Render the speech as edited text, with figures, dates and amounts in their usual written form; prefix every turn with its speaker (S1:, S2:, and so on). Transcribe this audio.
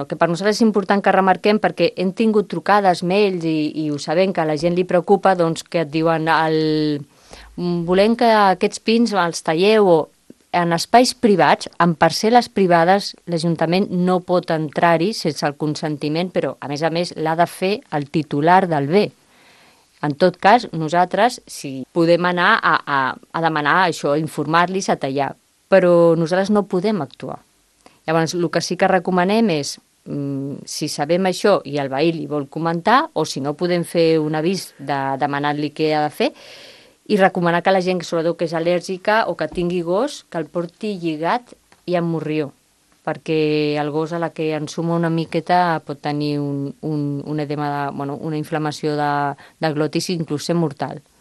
S1: El que per nosaltres és important que remarquem, perquè hem tingut trucades, mails i ho sabem que a la gent li preocupa, doncs que et diuen volem que aquests pins els talleu o en espais privats, en parcel·les privades, l'Ajuntament no pot entrar-hi sense el consentiment, però a més l'ha de fer el titular del bé. En tot cas, nosaltres si podem anar a demanar això, a informar-los, a tallar, però nosaltres no podem actuar. Llavors, el que sí que recomanem és, si sabem això i el veí li vol comentar, o si no podem fer un avís demanant-li què ha de fer, i recomanar que la gent, sobretot que és al·lèrgica o que tingui gos, que el porti lligat i amb morrió, perquè el gos a la que ensuma una miqueta pot tenir un edema, una inflamació de glotis, inclús ser mortal.